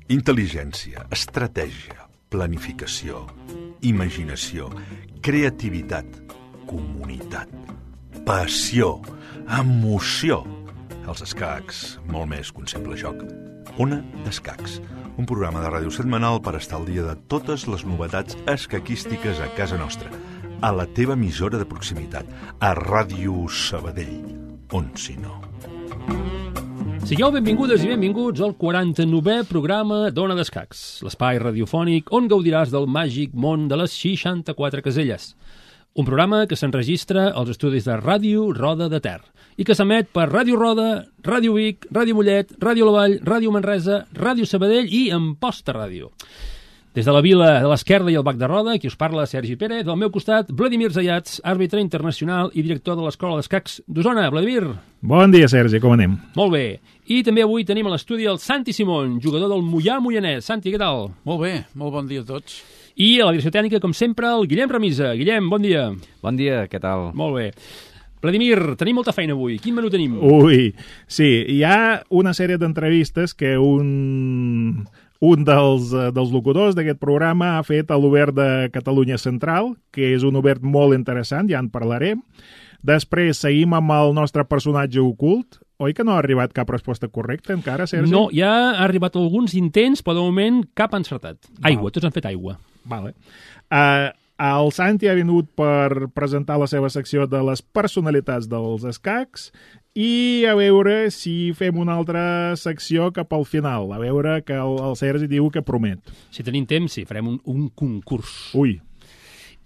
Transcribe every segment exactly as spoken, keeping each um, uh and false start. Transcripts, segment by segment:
Intel·ligència, estratègia, planificació, imaginació, creativitat, comunitat, passió, emoció. Els escacs, molt més que un simple joc. Ona d'Escacs, un programa de ràdio setmanal per estar al dia de totes les novetats escaquístiques a casa nostra, a la teva emissora de proximitat, a Ràdio Sabadell, on si no. Sigueu benvingudes i benvinguts al quaranta-novè programa d'Ona d'Escacs, l'espai radiofònic on gaudiràs del màgic món de les seixanta-quatre caselles. Un programa que s'enregistra als estudis de Ràdio Roda de Ter i que s'emet per Ràdio Roda, Ràdio Vic, Ràdio Mollet, Ràdio La Vall, Ràdio Manresa, Ràdio Sabadell i Amposta Ràdio. Des de la vila de l'Esquerda i el Bac de Roda, qui us parla, Sergi Pérez, del meu costat, Vladimir Zayats, àrbitre internacional i director de l'Escola d'Escacs d'Osona. Vladimir. Bon dia, Sergi, com anem? Molt bé. I també avui tenim a l'estudi el Santi Simón, jugador del Moià Moianès. Santi, què tal? Molt bé, molt bon dia a tots. I a la direcció tècnica, com sempre, el Guillem Remisa. Guillem, bon dia. Bon dia, què tal? Molt bé. Vladimir, tenim molta feina avui. Quin menú tenim? Ui, sí, hi ha una sèrie d'entrevistes que un... Un dels, dels locutors d'aquest programa ha fet a l'Obert de Catalunya Central, que és un obert molt interessant, ja en parlarem. Després seguim amb el nostre personatge ocult. Oi que no ha arribat cap resposta correcta encara, Sergi? No, ja ha arribat alguns intents, però de moment cap encertat. Aigua, tots han fet aigua. Vale. Uh, el Santi ha vingut per presentar la seva secció de les personalitats dels escacs i a veure si fem una altra secció cap al final. A veure que el, el Sergi diu que promet. Si tenim temps, sí, farem un, un concurs. Ui.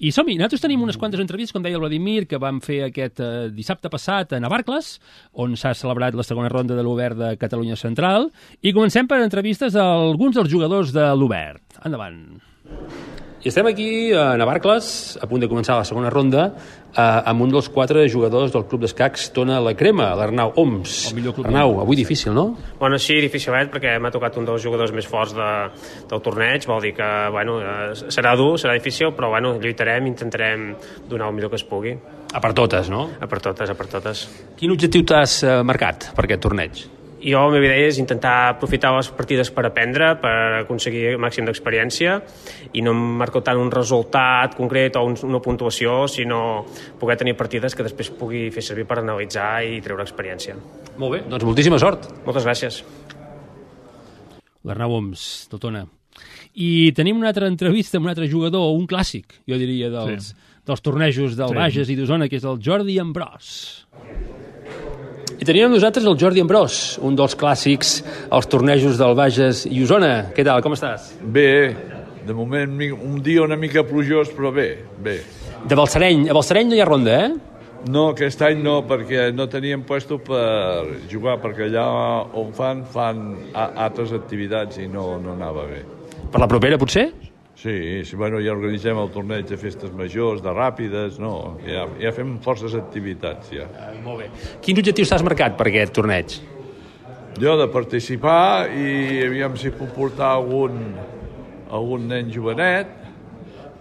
I som-hi, nosaltres tenim unes quantes entrevistes, com deia el Vladimir, que vam fer aquest eh, dissabte passat a Navarcles, on s'ha celebrat la segona ronda de l'Obert de Catalunya Central, i comencem per entrevistes a alguns dels jugadors de l'Obert. Endavant. I estem aquí a Navarcles, a punt de començar la segona ronda, eh, amb un dels quatre jugadors del Club d'Escacs Tona la Crema, l'Arnau Oms. Arnau, avui difícil, no? Bueno, sí, dificilet, perquè m'ha tocat un dels jugadors més forts de, del torneig, vol dir que, bueno, eh, serà dur, serà difícil, però, bueno, lluitarem, intentarem donar el millor que es pugui. A per totes, no? A per totes, a per totes. Quin objectiu t'has eh, marcat per aquest torneig? Jo, la meva idea és intentar aprofitar les partides per aprendre, per aconseguir el màxim d'experiència, i no em marco tant un resultat concret o un, una puntuació, sinó poder tenir partides que després pugui fer servir per analitzar i treure experiència. Molt bé, doncs moltíssima sort. Moltes gràcies. L'Arnau Oms, del Tona. I tenim una altra entrevista amb un altre jugador, un clàssic, jo diria, dels, sí. dels tornejos del sí. Bages i d'Osona, que és el Jordi Ambrós. I tenim amb nosaltres el Jordi Ambrós, un dels clàssics als tornejos del Bages i Osona. Què tal, com estàs? Bé, de moment un dia una mica plujós, però bé, bé. De Balsareny, a Balsareny no hi ha ronda, eh? No, aquest any no, perquè no teníem puesto per jugar, perquè allà on fan, fan altres activitats i no, no anava bé. Per la propera, potser? Sí, sí, bueno, ja organitzem el torneig de festes majors, de ràpides, no, ja, ja fem forces activitats, ja. Ah, molt bé. Quins objectius t'has marcat per aquest torneig? Jo, de participar i aviam si puc portar algun, algun nen jovenet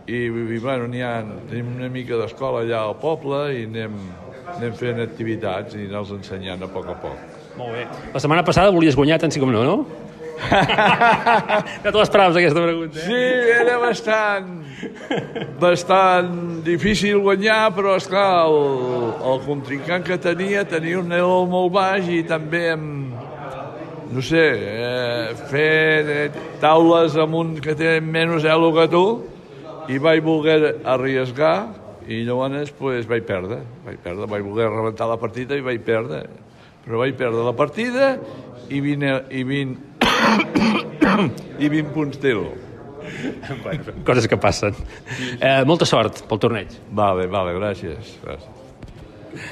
i, i bueno, n'hi ha, tenim una mica d'escola allà al poble i anem, anem fent activitats i anar-los ensenyant a poc a poc. Molt bé. La setmana passada volies guanyar tant sí com no, no? No te l'esperaves, aquesta pregunta, eh? Sí, era bastant bastant difícil guanyar, però esclar, el, el contrincant que tenia tenia un elo molt baix i també amb, no sé, eh, fer taules amb un que té menys elo que tu, i vaig voler arriesgar i llavors pues, vaig perdre, vaig perdre, vaig voler rebentar la partida i vaig perdre, però vaig perdre la partida i vint, i vint i vint punts d'elo. Bueno, coses que passen. Eh, molta sort pel torneig. Vale, vale, gràcies. gràcies.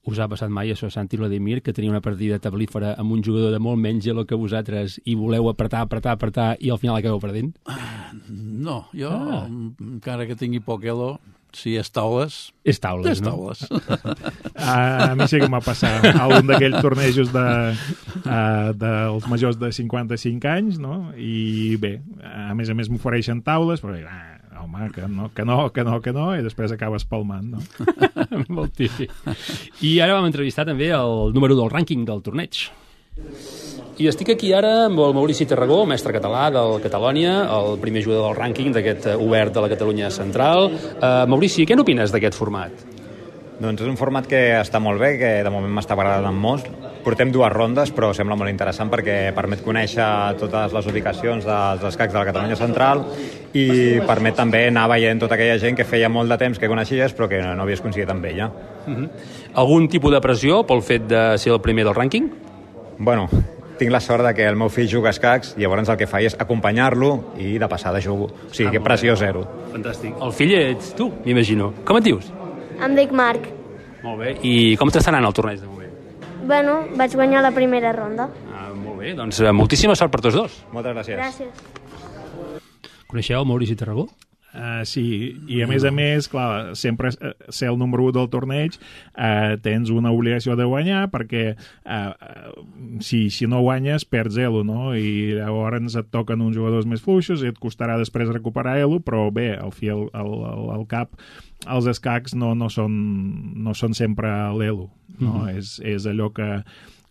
Us ha passat mai això, Santi Vladimir, que tenia una partida tablífera amb un jugador de molt menys elo que vosaltres i voleu apretar, apretar, apretar i al final acabeu perdent? No, jo, ah. encara que tingui poc elo, si és taules... És taules, és no? taules. A, a mi sí que m'ha passat a un d'aquells tornejos de, uh, dels majors de cinquanta-cinc anys, no? I bé, a més a més m'ofereixen taules, però ah, home, que no, que no, que no, que no, i després acabes palmant, no? Molt típic. I ara vam entrevistar també el número del rànquing del torneig. I estic aquí ara amb el Maurici Tarragó, mestre català del Catalònia, el primer jugador del rànquing d'aquest obert de la Catalunya Central. Uh, Maurici, què n'opines d'aquest format? Doncs és un format que està molt bé, que de moment m'està agradant molt. Portem dues rondes, però sembla molt interessant perquè permet conèixer totes les ubicacions dels escacs de la Catalunya Central i permet també anar veient tota aquella gent que feia molt de temps que coneixies però que no havies coincidit amb ella. Uh-huh. Algun tipus de pressió pel fet de ser el primer del rànquing? Bueno, tinc la sort de que el meu fill juga a escacs i llavors el que faig és acompanyar-lo i de passada jugo. O sigui, ah, que pressió zero. Fantàstic. El fill ets tu, m'imagino. Com et dius? Em dic Marc. Molt bé. I com t'està anant el torneig de moment? Bueno, vaig guanyar la primera ronda. Ah, molt bé. Doncs moltíssima sort per tots dos. Moltes gràcies. Gràcies. Coneixeu el Maurici Tarragó? Uh, sí, i a més a més, clar, sempre ser el número u del torneig uh, tens una obligació de guanyar perquè uh, si, si no guanyes perds elo, no? I llavors et toquen uns jugadors més fluixos i et costarà després recuperar elo, però bé, al fi al, al, al cap els escacs no, no, són, no són sempre l'elo, no? Mm-hmm. és, és allò que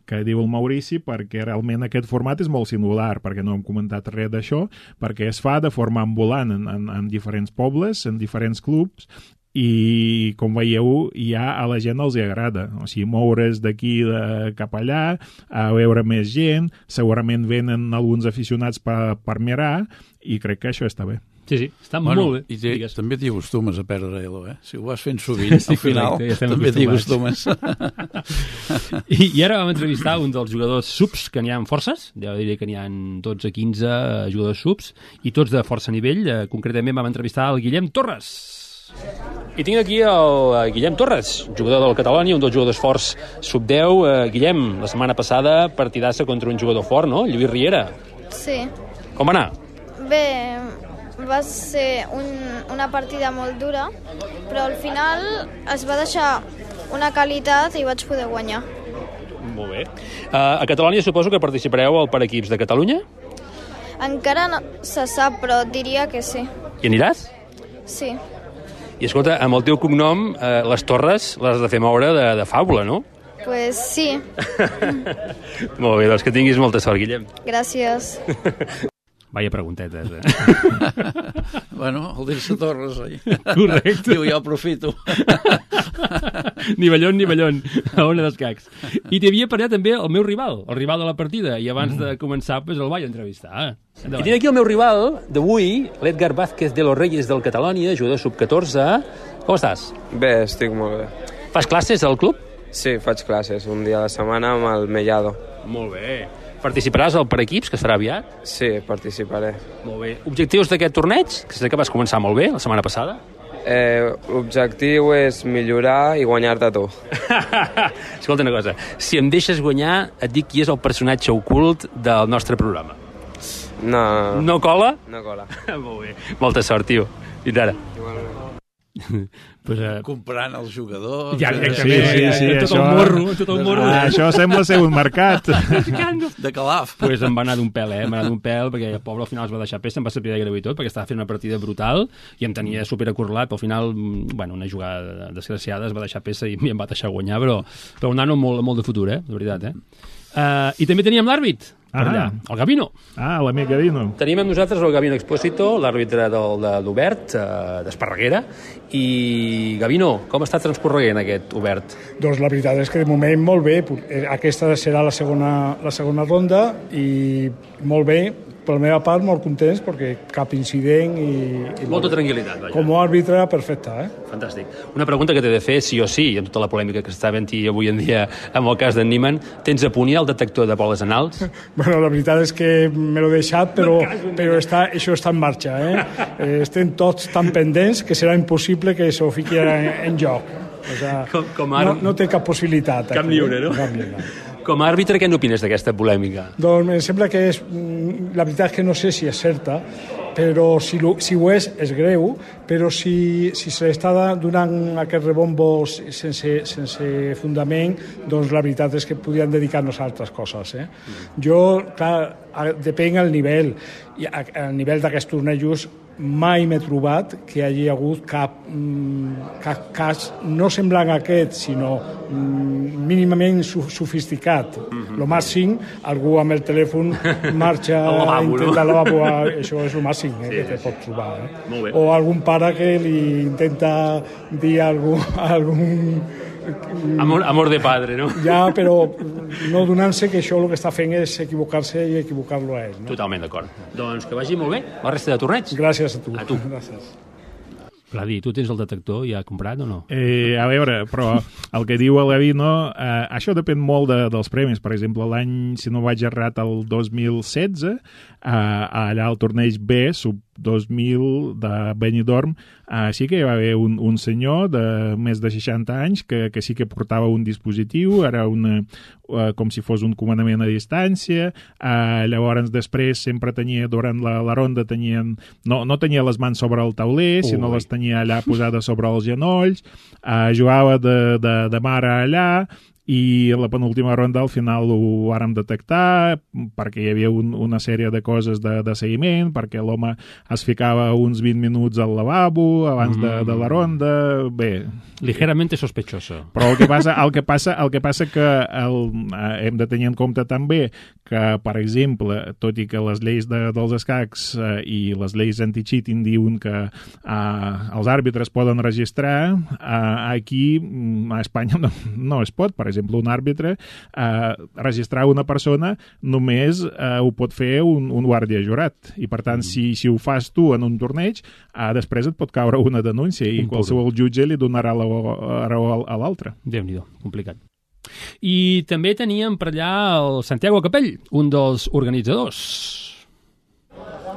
que diu el Maurici, perquè realment aquest format és molt singular, perquè no hem comentat res d'això, perquè es fa de forma ambulant en, en, en diferents pobles, en diferents clubs, i com veieu ja a la gent els hi agrada, o sigui, moure's d'aquí de cap allà, a veure més gent, segurament venen alguns aficionats per, per mirar, i crec que això està bé. Sí, sí, està bueno, molt bé. I te, també t'hi acostumes a perdre elo, eh? Si ho vas fent sovint, al final correcte, ja també t'hi acostumes. I, I ara vam entrevistar un dels jugadors subs, que n'hi ha forces, ja diré que n'hi ha dotze o quinze jugadors subs, i tots de força nivell. Eh, concretament vam entrevistar el Guillem Torres. I tinc aquí el Guillem Torres, jugador del Catalònia, un dels jugadors forts sub deu. Eh, Guillem, la setmana passada partidassa contra un jugador fort, no? Lluís Riera. Sí. Com va anar? Bé, va ser un, una partida molt dura, però al final es va deixar una qualitat i vaig poder guanyar. Molt bé. Uh, a Catalònia suposo que participareu al per equips de Catalunya? Encara no se sap, però diria que sí. Hi aniràs? Sí. I escolta, amb el teu cognom, eh, les torres les has de fer moure de, de faula, no? Pues sí. Molt bé, doncs que tinguis molta sort, Guillem. Gràcies. Vaya preguntetes, eh? Bueno, el dir-se Torres, oi? Correcte. Diu, jo aprofito. Ni ballon, ni ballon, a Ona d'Escacs. I t'hi havia parlat també el meu rival, el rival de la partida, i abans de començar pues, el vaig entrevistar. Endavant. I tinc aquí el meu rival d'avui, l'Edgar Vázquez de los Reyes del Catalònia, jugador sub catorze. Com estàs? Bé, estic molt bé. Fas classes al club? Sí, faig classes un dia a la setmana amb el Mellado. Molt bé. Participaràs al per equips, que serà aviat? Sí, participaré. Molt bé. Objectius d'aquest torneig? Que sé que vas començar molt bé la setmana passada. Eh, L'objectiu és millorar i guanyar-te tu. Escolta una cosa, si em deixes guanyar, et dic qui és el personatge ocult del nostre programa. No. No cola? No cola. Molt bé. Molta sort, tio. Fins ara. Igualment. Pues, uh... comprant els jugadors... Ja, sí, sí, sí, sí, tot això, el morro, tot el morro. Ah, això sembla ser un mercat. De Calaf. Pues em va anar d'un pèl, eh? Em va anar d'un pèl, perquè el poble al final es va deixar pes, em va saber de greu i tot, perquè estava fent una partida brutal i em tenia superacorrelat, però al final, bueno, una jugada desgraciada, es va deixar peça i em va deixar guanyar, però, però un nano molt, molt de futur, eh? De veritat, eh? Uh, I també teníem l'àrbit per ah. allà, el Gavino. Ah, l'amic Gavino. Tenim amb nosaltres el Gavino Expósito, l'àrbitre del, de l'Obert, eh, d'Esparreguera. I, Gavino, com està transcorreguent aquest Obert? Doncs la veritat és que de moment molt bé. Aquesta serà la segona, la segona ronda i molt bé. Per la meva part, molt contents perquè cap incident i... i Molta tranquil·litat, vaja. Com a àrbitre, perfecte, eh? Fantàstic. Una pregunta que t'he de fer, sí o sí, amb tota la polèmica que està havent-hi avui en dia amb el cas d'en Niemann, tens a punt ja el detector de boles anals? Bueno, la veritat és que me l'he deixat, però, però està, això està en marxa, eh? Estem tots tan pendents que serà impossible que s'ho fiqui en, en joc. O sea, com, com ara... no, no té cap possibilitat. Cap aquí, lliure, no? Cap lliure. Com a àrbitre, què n'opines d'aquesta polèmica? Doncs em sembla que és... La veritat és que no sé si és certa, però si, lo, si ho és, és greu, però si, si se l'està donant aquest rebombo sense, sense fundament, doncs la veritat és que podríem dedicar-nos a altres coses. Eh? Mm. Jo, clar, depèn del nivell. I el nivell d'aquests tornejos mai m'he trobat que hi hagi hagut cap, cap cas no semblant a aquest, sinó mínimament sofisticat. Mm-hmm. Lo màxim, algú amb el telèfon marxa a intentar al lavabo, això és el màxim eh, sí, que te pot trobar. Eh? O algun pare que li intenta dir algú, algun... Amor, amor de padre, no? Ja, però no donant-se que això el que està fent és equivocar-se i equivocar-lo a ell. No? Totalment d'acord. Doncs que vagi molt bé la resta de torneig. Gràcies a tu. A tu. Gràcies. Vladi, tu tens el detector ja comprat o no? Eh, a veure, però el que diu el Gavino, eh, això depèn molt de, dels premis. Per exemple, l'any, si no vaig errat, el dos mil setze, eh, allà al torneig B, sub dos mil de Benidorm, eh, sí que hi va haver un, un senyor de més de seixanta anys que, que sí que portava un dispositiu, era una, eh, com si fos un comandament a distància, eh, llavors després sempre tenia, durant la, la ronda tenien, no, no tenia les mans sobre el tauler, Ui. sinó les tenia allà posades sobre els genolls, eh, jugava de, de, de mare allà, i la penúltima ronda al final ho vàrem detectar perquè hi havia un, una sèrie de coses de, de seguiment, perquè l'home es ficava uns vint minuts al lavabo abans de, de la ronda, bé... Ligeramente sospechoso. Però el que passa, el que passa, el que passa que el, eh, hem de tenir en compte també que, per exemple, tot i que les lleis de, dels escacs eh, i les lleis anti-cheating diuen que eh, els àrbitres poden registrar, eh, aquí a Espanya no, no es pot. Per exemple, un àrbitre eh, registrar una persona només eh, ho pot fer un, un guàrdia jurat. I, per tant, mm. si, si ho fas tu en un torneig, eh, després et pot caure una denúncia i un qualsevol jutge li donarà la raó a l'altre. Déu-n'hi-do, complicat. I també teníem per allà el Santiago Capell, un dels organitzadors.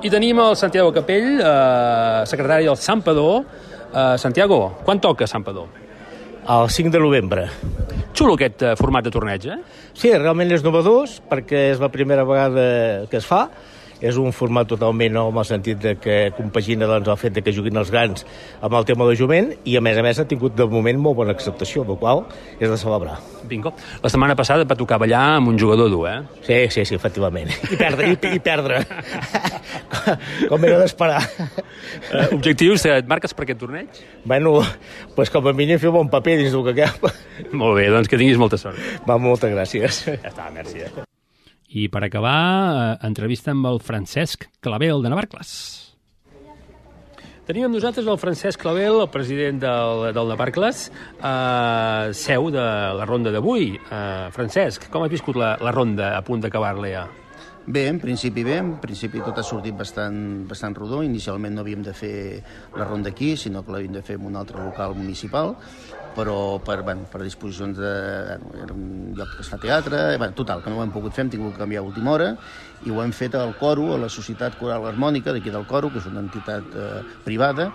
I tenim el Santiago Capell, eh, secretari del Santpedor. Eh, Santiago, quan toca Santpedor? El cinc de novembre. Xulo aquest eh, format de torneig, eh? Sí, realment és novedós, perquè és la primera vegada que es fa. És un format totalment nou, en el sentit de que compagina doncs, el fet de que juguin els grans amb el tema de jovent, i a més a més ha tingut de moment molt bona acceptació, el qual és de celebrar. Bingo. La setmana passada et va tocar ballar amb un jugador dur, eh? Sí, sí, sí, efectivament. I perdre, i, i perdre. Com era d'esperar. Uh, objectius, et marques per aquest torneig? Bueno, pues com a mínim fer bon paper dins del que cap. Molt bé, doncs que tinguis molta sort. Va, moltes gràcies. Ja està, merci. Eh? I per acabar, eh, entrevista amb el Francesc Clavel de Navarcles. Tenim amb nosaltres el Francesc Clavel, el president del, del Navarcles, eh, seu de la ronda d'avui. Eh, Francesc, com has viscut la, la ronda a punt d'acabar-la ja? Bé, en principi bé, en principi tot ha sortit bastant, bastant rodó. Inicialment no havíem de fer la ronda aquí, sinó que l'havíem de fer en un altre local municipal, però per, bueno, per disposicions de... Era un lloc que es fa teatre, bueno, total, que no ho hem pogut fer, hem tingut que canviar a última hora, i ho hem fet al Coro, a la Societat Coral Harmònica d'aquí del Coro, que és una entitat eh, privada,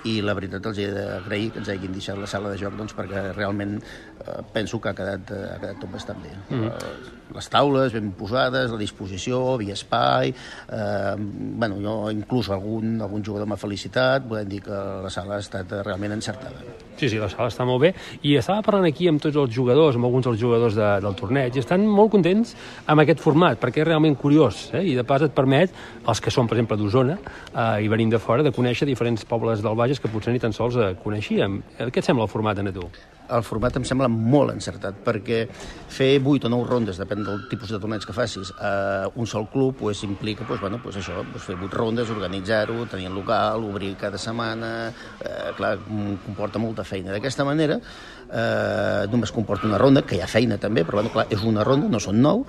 i la veritat els he d'agrair que ens hagin deixat la sala de joc, doncs, perquè realment eh, penso que ha quedat, eh, ha quedat tot bastant bé. Mm. Les taules ben posades, la disposició, havia espai, eh, bueno, jo inclús algun, algun jugador m'ha felicitat, volem dir que la sala ha estat realment encertada. Sí, sí, la sala està molt bé, i estava parlant aquí amb tots els jugadors, amb alguns dels jugadors de, del torneig, i estan molt contents amb aquest format, perquè és realment curiós, eh? I de pas et permet, els que són, per exemple, d'Osona, eh, i venim de fora, de conèixer diferents pobles del Bages que potser ni tan sols eh, coneixíem. Què et sembla el format, a tu? El format em sembla molt encertat, perquè fer vuit o nou rondes, depèn del tipus de torneig que facis, a un sol club pues, implica pues, bueno, pues això, pues, fer vuit rondes, organitzar-ho, tenir el local, obrir cada setmana, eh, clar, comporta molta feina. D'aquesta manera, eh, només comporta una ronda, que hi ha feina també, però bueno, clar, és una ronda, no són nou,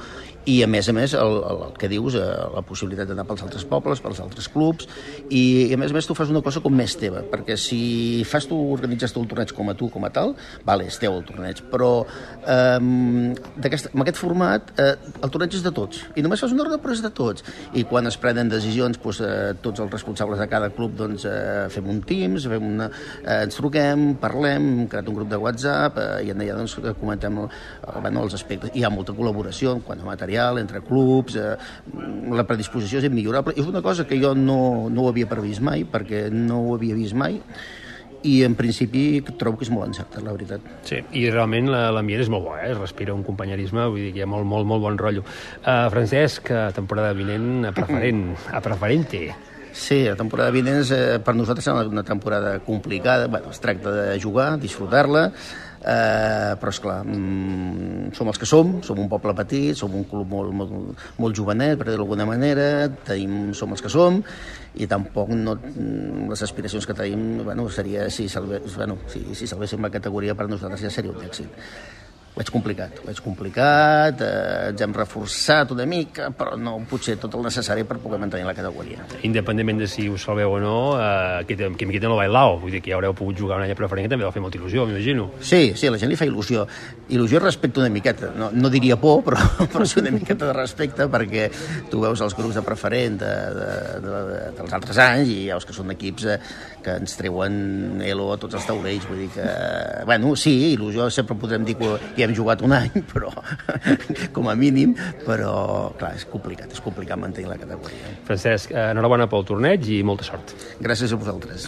i a més a més, el, el, el que dius, eh, la possibilitat d'anar pels altres pobles, pels altres clubs, i, i a més a més tu fas una cosa com més teva, perquè si fas tu, organitzes tu el torneig com a tu, com a tal, vale, és teu el torneig, però eh, amb aquest format eh, el torneig és de tots, i només fas una ronda però és de tots, i quan es prenen decisions doncs, eh, tots els responsables de cada club doncs, eh, fem un Teams, fem una, eh, ens truquem, parlem, hem creat un grup de WhatsApp eh, i allà doncs, comentem el, bueno, els aspectes, hi ha molta col·laboració quan a material, entre clubs, eh, la predisposició és immillorable, és una cosa que jo no, no ho havia previst mai, perquè no ho havia vist mai, i en principi trobo que és molt encertat, la veritat. Sí, i realment l'ambient és molt bo, eh? Es respira un companyerisme, vull dir que hi ha molt, molt, molt bon rotllo. Uh, Francesc, temporada vinent a preferent, a preferente. Sí, la temporada vinent és, eh, per nosaltres serà una temporada complicada. Bueno, es tracta de jugar, disfrutar-la, eh, però esclar, mm, som els que som, som un poble petit, som un club molt, molt, molt jovenet, per dir-ho d'alguna manera, tenim, som els que som, i tampoc no, les aspiracions que tenim, bueno, seria, si, salve, bueno, si, si salvéssim la categoria per nosaltres ja seria un èxit. Ho veig complicat, ho veig complicat, eh, ens hem reforçat una mica, però no potser tot el necessari per poder mantenir la categoria. Independentment de si us salveu o no, eh, que, que miqueta no bailao, vull dir que ja haureu pogut jugar un any a preferent, que també va fer molta il·lusió, m'imagino. Sí, sí, a la gent li fa il·lusió. Il·lusió respecte una miqueta, no, no diria por, però, però sí una miqueta de respecte, perquè tu veus els grups de preferent de, de, de, de, dels altres anys i veus que són equips eh, que ens treuen elo a tots els taulells, vull dir que, bueno, sí, il·lusió sempre podrem dir que hi hem jugat un any, però com a mínim, però clar, és complicat, és complicat mantenir la categoria. Francesc, enhorabona pel torneig i molta sort. Gràcies a vosaltres.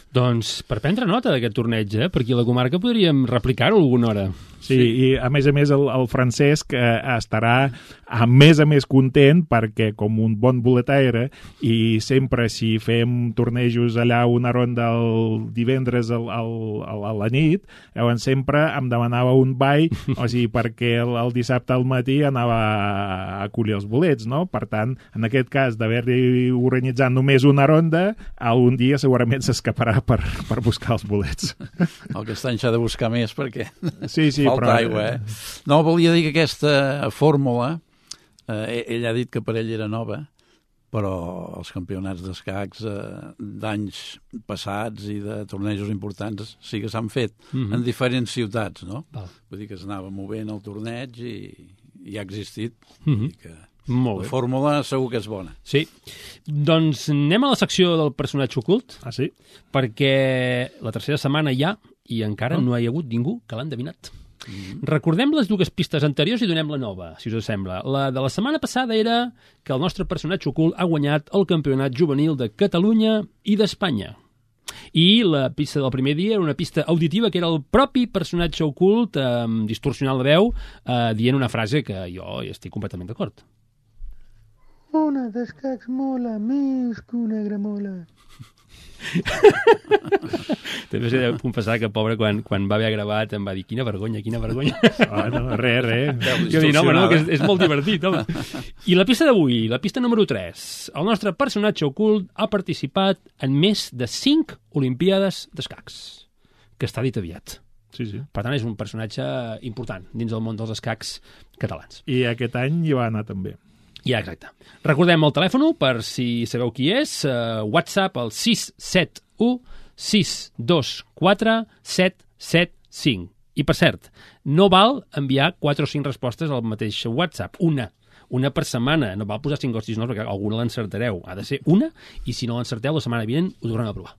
Doncs per prendre nota d'aquest torneig, eh? Per aquí a la comarca podríem replicar-ho alguna hora. Sí, sí, i a més a més el, el Francesc eh, estarà a més a més content perquè com un bon boletaire i sempre si fem tornejos allà una ronda el divendres al, al, al, a la nit, llavors sempre em demanava un ball, o sigui, perquè el, el dissabte al matí anava a, a collir els bolets, no? Per tant, en aquest cas d'haver-hi organitzat només una ronda, algun dia segurament s'escaparà per, per buscar els bolets. El aquest any s'ha de buscar més perquè... Sí, sí, falta però... aigua, eh? No, volia dir que aquesta fórmula, eh, ell ha dit que per ell era nova, però els campionats d'escacs eh, d'anys passats i de tornejos importants sí que s'han fet mm-hmm. en diferents ciutats, no? Val. Vull dir que s'anava movent el torneig i, i ha existit. Mm-hmm. Vull dir que molt bé. La fórmula segur que és bona. Sí. Doncs anem a la secció del personatge ocult. Ah, sí? Perquè la tercera setmana ja i encara oh. no hi ha hagut ningú que l'ha endevinat. Mm-hmm. Recordem les dues pistes anteriors i donem la nova, si us sembla. La de la setmana passada era que el nostre personatge ocult ha guanyat el campionat juvenil de Catalunya i d'Espanya. I la pista del primer dia era una pista auditiva que era el propi personatge ocult, eh, distorsionant la veu, eh, dient una frase que jo hi estic completament d'acord. Una d'escacs mola més que una gramola. També s'ha de confessar que, pobre, quan, quan va haver gravat em va dir quina vergonya, quina vergonya. Oh, no, res, res. Jo dic, no, no, que és, és molt divertit, home. I la pista d'avui, la pista número tres. El nostre personatge ocult ha participat en més de cinc Olimpíades d'escacs, que està dit aviat. Sí, sí. Per tant, és un personatge important dins del món dels escacs catalans. I aquest any hi va anar també. Ja, exacte. Recordem el telèfon per si sabeu qui és. Uh, WhatsApp al sis set u sis dos quatre set set cinc. I, per cert, no val enviar quatre o cinc respostes al mateix WhatsApp. Una. Una per setmana. No val posar cinc o sis noms perquè alguna l'encertareu. Ha de ser una i si no l'encerteu la setmana vinent ho tornem a provar.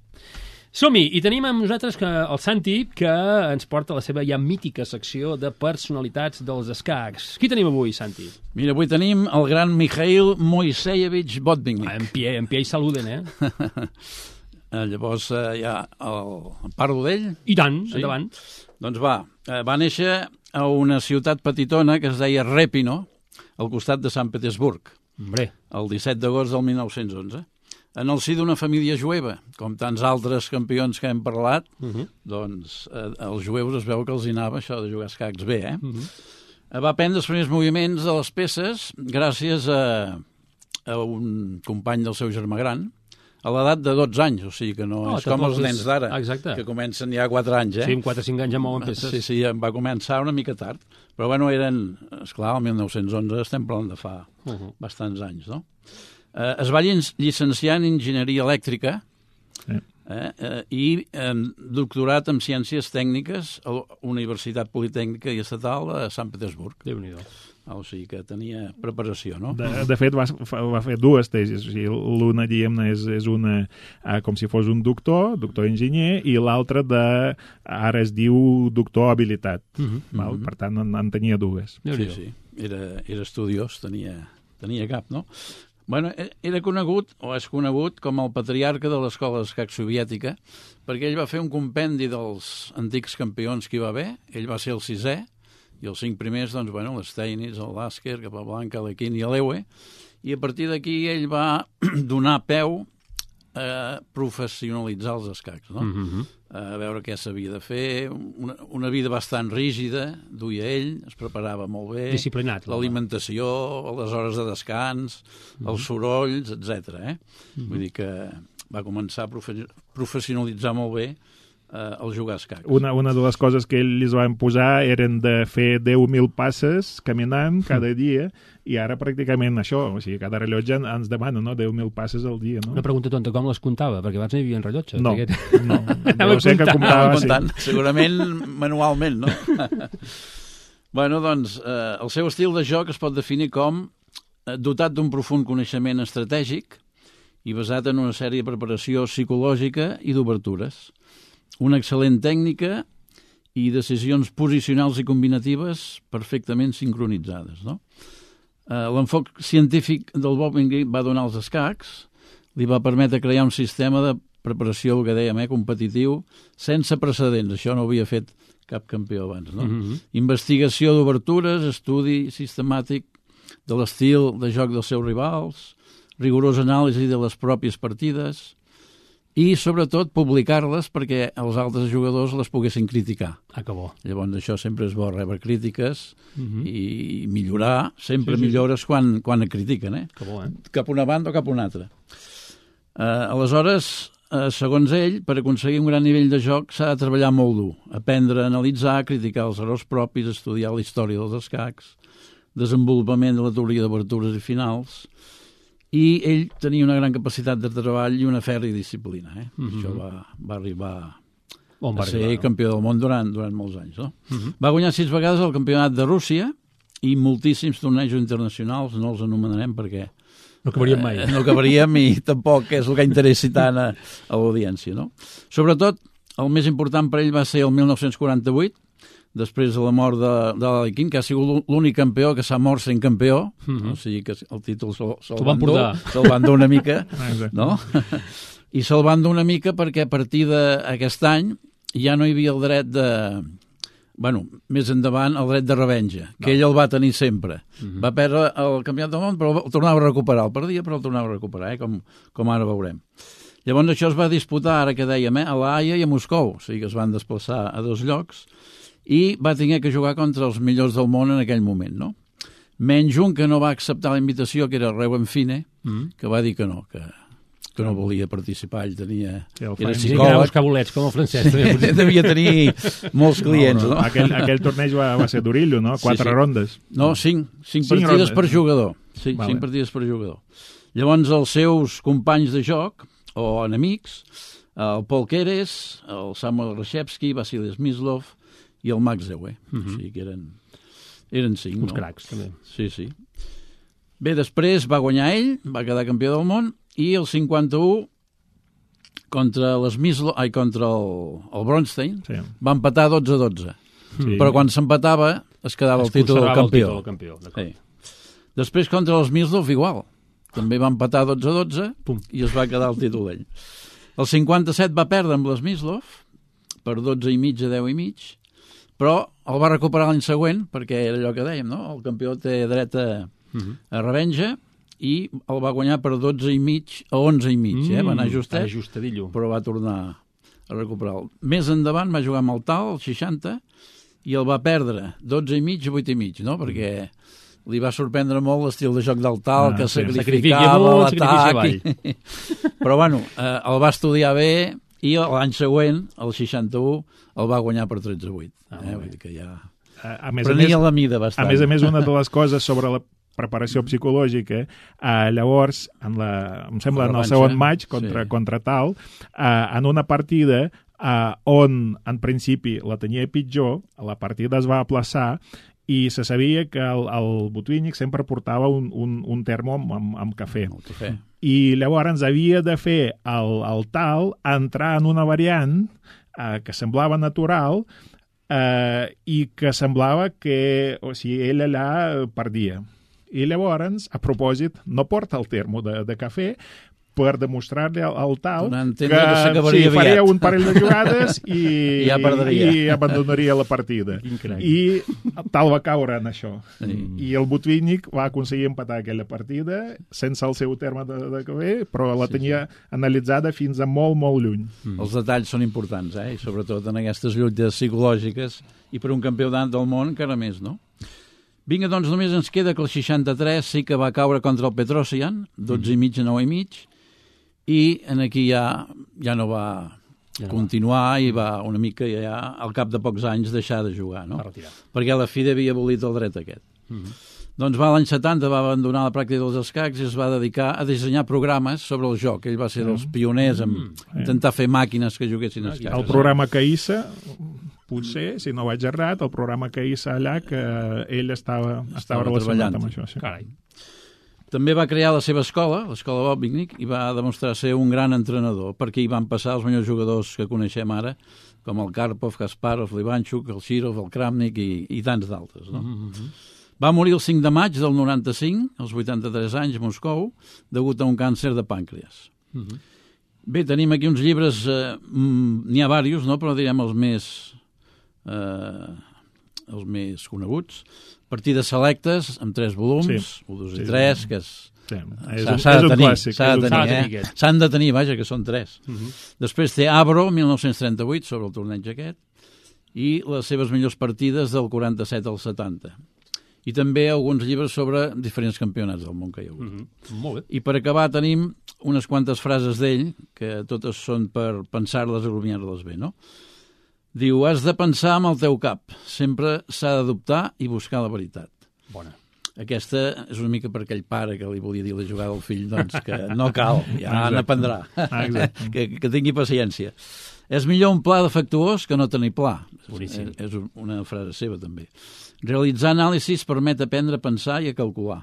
Som-hi! I tenim amb nosaltres que el Santi, que ens porta la seva ja mítica secció de personalitats dels escacs. Qui tenim avui, Santi? Mira, avui tenim el gran Mikhail Moiseyevich Botvinnik. Ah, en pie, en pie i saluden, eh? Llavors, eh, ja el... parlo d'ell? I tant, sí? Endavant. Doncs va, eh, va néixer a una ciutat petitona que es deia Repino, al costat de Sant Petersburg. Hombre. El disset d'agost del mil nou-cents onze. En el si d'una família jueva, com tants altres campions que hem parlat, uh-huh. doncs eh, els jueus es veu que els hi anava això de jugar escacs bé, eh? Uh-huh. Va aprendre els primers moviments de les peces gràcies a, a un company del seu germà gran, a l'edat de dotze anys, o sigui que no oh, és com els nens d'ara, que comencen ja a quatre anys, eh? Sí, amb quatre o cinc anys ja mouen peces. Sí, sí, va començar una mica tard, però bueno, eren, esclar, el mil nou-cents onze estem parlant de fa uh-huh. bastants anys, no? Eh, es va llicenciar en enginyeria elèctrica sí. eh, eh, i eh, doctorat en ciències tècniques a la Universitat Politècnica i Estatal a Sant Petersburg. Déu-n'hi-do. O sigui que tenia preparació, no? De, de fet, va, va fer dues tesis. O sigui, l'una, diguem, és, és una eh, com si fos un doctor, doctor enginyer, i l'altra de, ara es diu doctor habilitat. Uh-huh. Val? Uh-huh. Per tant, en, en tenia dues. Sí, sí. Era, era estudiós, tenia, tenia cap, no? Bueno, era conegut, o és conegut, com el patriarca de l'escola d'escac soviètica, perquè ell va fer un compendi dels antics campions que hi va haver, ell va ser el sisè, I els cinc primers, doncs, bueno, l'Steinis, el Lasker, Capablanca, l'Equín i l'Eue, i a partir d'aquí ell va donar peu a professionalitzar els escacs, no? Mm-hmm. A veure què s'havia de fer, una, una vida bastant rígida, duia ell, es preparava molt bé. Disciplinat. L'alimentació, les hores de descans, mm-hmm. els sorolls, etcètera. Eh? Mm-hmm. Vull dir que va començar a profe professionalitzar molt bé eh, el jugar a escacs. Una, una de les coses que ells li van posar eren de fer deu mil passes caminant cada dia, i ara pràcticament això, o sigui, cada rellotge ens demana, no?, deu mil passes al dia, no? Una pregunta tonta, com les comptava? Perquè abans no hi havia rellotges. No, perquè... no. Deu ser que comptava, sí. Segurament manualment, no? Bueno, doncs, eh, el seu estil de joc es pot definir com eh, dotat d'un profund coneixement estratègic i basat en una sèrie de preparació psicològica i d'obertures. Una excel·lent tècnica i decisions posicionals i combinatives perfectament sincronitzades, no? Uh, l'enfoc científic del Bob Ingrid va donar als escacs, li va permetre crear un sistema de preparació, el que dèiem, eh, competitiu, sense precedents. Això no ho havia fet cap campió abans, no? Mm-hmm. Investigació d'obertures, estudi sistemàtic de l'estil de joc dels seus rivals, rigorosa anàlisi de les pròpies partides i, sobretot, publicar-les perquè els altres jugadors les poguessin criticar. Ah, que bo. Llavors, això sempre és bo, rebre crítiques uh-huh. i millorar. Sempre sí, sí, millores sí. quan, quan et critiquen, eh? Que bo, eh? Cap una banda o cap una altra. Uh, aleshores, uh, segons ell, per aconseguir un gran nivell de joc s'ha de treballar molt dur. Aprendre a analitzar, criticar els errors propis, estudiar la història dels escacs, desenvolupament de la teoria d'obertures i finals, i ell tenia una gran capacitat de treball i una fèrria disciplina. Eh? Mm-hmm. Això va, va arribar On va a ser arribar, no? campió del món durant, durant molts anys. No? Mm-hmm. Va guanyar sis vegades el campionat de Rússia i moltíssims tornejos internacionals, no els anomenarem perquè no acabaríem mai. Eh, no acabaríem i tampoc és el que interessi tant a, a l'audiència. No? Sobretot, el més important per ell va ser el mil nou-cents quaranta-vuit, després de la mort de, de l'Alequín, que ha sigut l'únic campió que s'ha mort sent campió, mm-hmm. o sigui que el títol se'l se van dur, se'l van dur una mica, no? I se'l van dur una mica perquè a partir d'aquest any ja no hi havia el dret de... Bueno, més endavant, el dret de revenja, que no. ell el va tenir sempre. Mm-hmm. Va perdre el campionat del món, però el tornava a recuperar. El perdia, però el tornava a recuperar, eh? com, com ara veurem. Llavors això es va disputar, ara que dèiem, eh? a La Haia i a Moscou, o sigui que es van desplaçar a dos llocs, i va tenir que jugar contra els millors del món en aquell moment, no? Menys un que no va acceptar la invitació, que era Reuben Fine, mm. que va dir que no, que, que no volia participar, ell tenia... Sí, era psicòleg. Sí, bolets, com el francès. Sí, devia tenir molts clients, no? no? no. Aquell, aquell torneig va, va ser durillo, no? Quatre sí, sí. rondes. No, cinc. Cinc, cinc partides rondes. Per jugador. Sí, vale. Cinc partides per jugador. Llavors, els seus companys de joc, o enemics, el Paul Keres, el Samuel Reshevsky, Vasily Smyslov i el Max Ewe. Uh-huh. O sigui que eren, eren cinc. Uns no? cracs, també. Sí, sí. Bé, després va guanyar ell, va quedar campió del món, i el cinquanta-u contra l'Smyslov, ai, contra el, el Bronstein, sí. va empatar dotze a dotze. Sí. Però quan s'empatava es quedava es el títol del campió. El campió sí. Després contra l'Smyslov igual. També va empatar dotze a dotze Pum. I es va quedar el títol d'ell. El cinquanta-set va perdre amb l'Smyslov per dotze i mig a deu i mig, però el va recuperar l'any següent, perquè era allò que dèiem, no? El campió té dret a, uh-huh. a revenja, i el va guanyar per dotze i mig a onze i mig, mm, eh? Va anar justet, ajustadillo. Però va tornar a recuperar. Més endavant va jugar amb el Tal, el seixanta, i el va perdre dotze i mig a vuit i mig, no? Perquè li va sorprendre molt l'estil de joc del Tal, ah, que sí, sacrificava l'atac. I... Però, bueno, eh, el va estudiar bé, i l'any següent, el seixanta-u, el va guanyar per tretze a vuit. Ah, eh? Vull dir que ja a, a més prenia a més, la mida bastant. A més a més, una de les coses sobre la preparació psicològica, eh, llavors, en la, em sembla, en el segon maig contra, sí. contra Tal, eh, en una partida eh, on, en principi, la tenia pitjor, la partida es va aplaçar, i se sabia que el, el Botvinnik sempre portava un, un, un termo amb, amb, amb cafè. cafè. I llavors havia de fer el, el Tal entrar en una variant eh, que semblava natural eh, i que semblava que, o sigui, ell allà perdia. I llavors, a propòsit, no porta el termo de, de cafè, per demostrar-li al, al tal que, que sí, faria un parell de jugades i, I, ja i, i abandonaria la partida. I tal va caure en això. Sí. I el Botvinnik va aconseguir empatar aquella partida sense el seu terme de, de caber, però la tenia sí, sí. analitzada fins a molt, molt lluny. Mm. Els detalls són importants, eh? I sobretot en aquestes lluites psicològiques i per un campionat del món encara més, no? Vinga, doncs només ens queda que el seixanta-tres sí que va caure contra el Petrosian, dotze i mig a nou i mig, i en aquí ja, ja no va ja no continuar va. I va una mica ja al cap de pocs anys deixar de jugar, no? Perquè la FIDE havia abolit el dret aquest. Mm-hmm. Doncs va l'any setanta, va abandonar la pràctica dels escacs i es va dedicar a dissenyar programes sobre el joc. Ell va ser dels pioners en mm. intentar fer màquines que juguessin a escacs. El programa Caïssa, potser, si no vaig errat, el programa Caïssa allà, que ell estava, estava, estava relacionat amb això. Sí. Carai. També va crear la seva escola, l'escola Botvinnik, i va demostrar ser un gran entrenador, perquè hi van passar els millors jugadors que coneixem ara, com el Karpov, Kasparov, l'Ivanchuk, el Shirov, el Kramnik i, i tants d'altres. No? Mm-hmm. Va morir el cinc de maig del noranta-cinc, als vuitanta-tres anys, a Moscou, degut a un càncer de pàncreas. Mm-hmm. Bé, tenim aquí uns llibres, eh, n'hi ha diversos, no? Però direm els més, eh, els més coneguts. Partides selectes, amb tres volums, sí. un, dos i sí, tres, que és... Sí. És, un, és un clàssic. S'ha de tenir, eh? S'han de tenir, vaja, que són tres. Uh-huh. Després té Abro, mil nou-cents trenta-vuit, sobre el torneig aquest, i les seves millors partides del quaranta-set al setanta. I també alguns llibres sobre diferents campionats del món que hi ha hagut. Uh-huh. Molt bé. I per acabar tenim unes quantes frases d'ell, que totes són per pensar-les i rumiar-les bé, no? Diu, has de pensar amb el teu cap. Sempre s'ha de dubtar i buscar la veritat. Bona. Aquesta és una mica per aquell pare que li volia dir la jugada al fill, doncs que no cal, ja n'aprendrà. que, que tingui paciència. És millor un pla defectuós que no tenir pla. Boníssim. És una frase seva, també. Realitzar anàlisis permet aprendre a pensar i a calcular.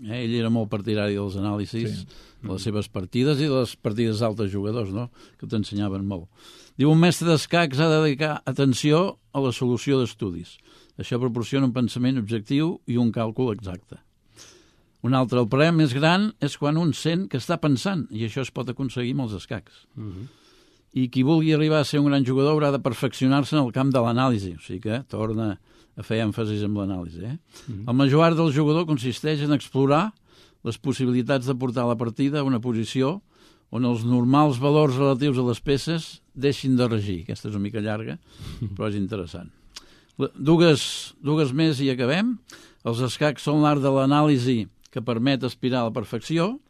Eh? Ell era molt partidari dels anàlisis, sí. de les seves partides i de les partides d'altres jugadors, no? Que t'ensenyaven molt. Diu, un mestre d'escacs ha de dedicar atenció a la solució d'estudis. Això proporciona un pensament objectiu i un càlcul exacte. Un altre, el problema més gran és quan un sent que està pensant, i això es pot aconseguir amb els escacs. Uh-huh. I qui vulgui arribar a ser un gran jugador haurà de perfeccionar-se en el camp de l'anàlisi, o sigui que torna a fer èmfasis en l'anàlisi. Eh? Uh-huh. El major art del jugador consisteix en explorar les possibilitats de portar la partida a una posició on els normals valors relatius a les peces deixin de regir. Aquesta és una mica llarga, però és interessant. Dues, dues més i acabem. Els escacs són l'art de l'anàlisi que permet aspirar a la perfecció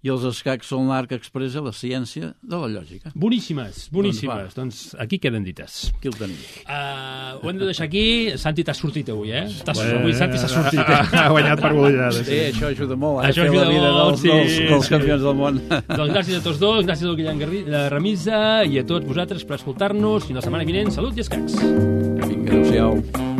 i els escacs són l'art que expressa la ciència de la lògica. Boníssimes, boníssimes. Doncs, doncs aquí queden dites. Aquí el tenim. Uh, ho hem de deixar aquí. Santi, t'has sortit avui, eh? T'has, eh avui Santi s'ha sortit. Ha guanyat per golejades. Sí, això ajuda molt. Això ajuda la vida molt, dels, sí, dels, dels sí. campions del món. Doncs gràcies a tots dos, gràcies al Guillem Ramisa i a tots vosaltres per escoltar-nos. Fins la setmana vinent. Salut i escacs. Vinga, adéu-siau.